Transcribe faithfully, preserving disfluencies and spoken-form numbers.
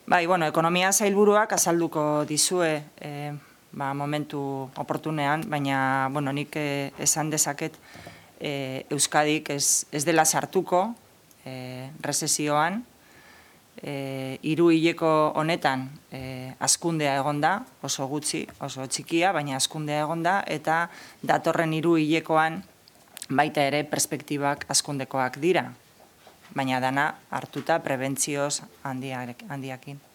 Bai, bueno, ekonomia sailburuak azalduko dizue e, ba, momentu oportunean, baina, bueno, nik e, esan dezaket e, Euskadik ez, ez dela sartuko e, rezesioan, e, hiru hileko honetan e, hazkundea egonda, oso gutxi, oso txikia, baina hazkundea egonda, eta datorren hiru hilekoan baita ere perspektibak hazkundekoak dira, baina dana hartuta prebentzioz handiakin.